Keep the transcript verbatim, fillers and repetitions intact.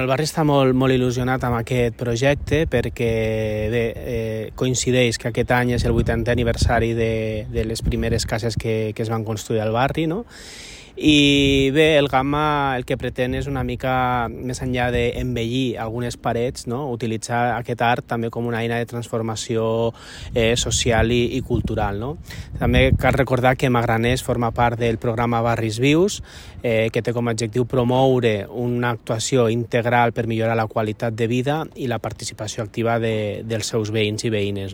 El barri està molt, molt il·lusionat amb aquest projecte perquè bé, eh, coincideix que aquest any és el vuitantè aniversari de, de les primeres cases que, que es van construir al barri, no? I bé, el Gamma el que pretén és una mica, més enllà d'embellir algunes parets, no? Utilitzar aquest art també com una eina de transformació eh, social i, i cultural, no? També cal recordar que Magraners forma part del programa Barris Vius, eh, que té com a objectiu promoure una actuació integral per millorar la qualitat de vida i la participació activa de, dels seus veïns i veïnes.